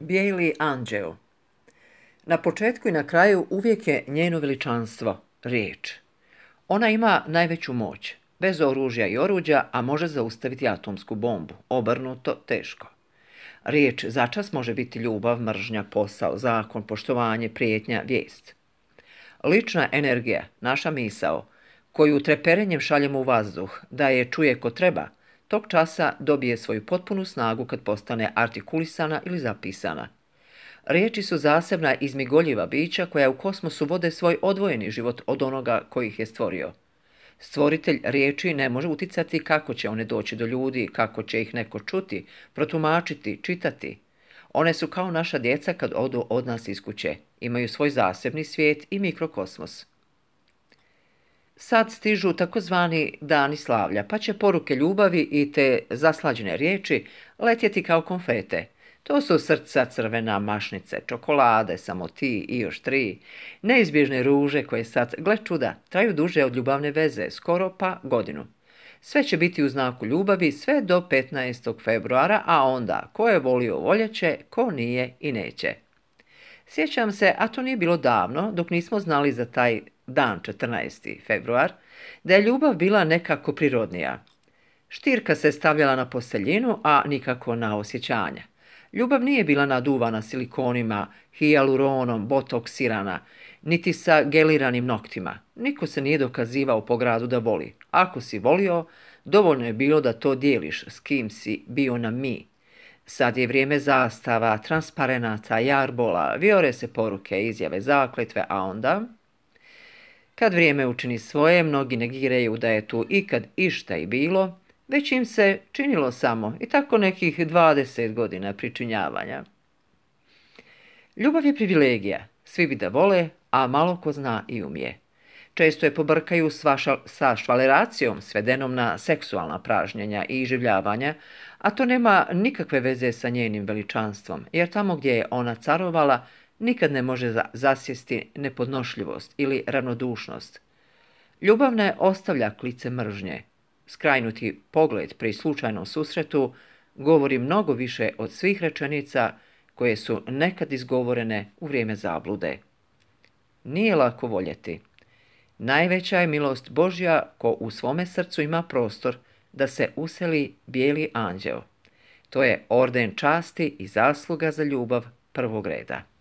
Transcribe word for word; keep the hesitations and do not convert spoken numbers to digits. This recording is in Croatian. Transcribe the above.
Bijeli anđeo. Na početku i na kraju uvijek je njeno veličanstvo, riječ. Ona ima najveću moć, bez oružja i oruđa, a može zaustaviti atomsku bombu, obrnuto teško. Riječ začas može biti ljubav, mržnja, posao, zakon, poštovanje, prijetnja, vijest. Lična energija, naša misao, koju treperenjem šaljemo u vazduh, da je čuje ko treba, tog časa dobije svoju potpunu snagu kad postane artikulisana ili zapisana. Riječi su zasebna izmigoljiva bića koja u kosmosu vode svoj odvojeni život od onoga koji ih je stvorio. Stvoritelj riječi ne može uticati kako će one doći do ljudi, kako će ih neko čuti, protumačiti, čitati. One su kao naša djeca kad odu od nas iz kuće, imaju svoj zasebni svijet i mikrokosmos. Sad stižu takozvani dani slavlja, pa će poruke ljubavi i te zaslađene riječi letjeti kao konfete. To su srca, crvena, mašnice, čokolade, samo ti i još tri, neizbježne ruže koje sad, gle čuda, traju duže od ljubavne veze, skoro pa godinu. Sve će biti u znaku ljubavi sve do petnaestog februara, a onda ko je volio voljeće, ko nije i neće. Sjećam se, a to nije bilo davno, dok nismo znali za taj dan četrnaesti februar, da je ljubav bila nekako prirodnija. Štirka se stavljala na posteljinu, a nikako na osjećanja. Ljubav nije bila naduvana silikonima, hijaluronom, botoksirana, niti sa geliranim noktima. Niko se nije dokazivao po gradu da voli. Ako si volio, dovoljno je bilo da to dijeliš s kim si bio na mi. Sad je vrijeme zastava, transparenata, jarbola, vijore se poruke, izjave, zakletve, a onda... Kad vrijeme učini svoje, mnogi negiraju da je tu ikad išta i bilo, već im se činilo samo i tako nekih dvadeset godina pričinjavanja. Ljubav je privilegija, svi bi da vole, a malo ko zna i umije. Često je pobrkaju sa švaleracijom, svedenom na seksualna pražnjenja i iživljavanja, a to nema nikakve veze sa njenim veličanstvom, jer tamo gdje je ona carovala, nikad ne može zasjesti nepodnošljivost ili ravnodušnost. Ljubav ne ostavlja klice mržnje. Skrajnuti pogled pri slučajnom susretu govori mnogo više od svih rečenica koje su nekad izgovorene u vrijeme zablude. Nije lako voljeti. Najveća je milost Božja ko u svome srcu ima prostor da se useli bijeli anđeo. To je orden časti i zasluga za ljubav prvog reda.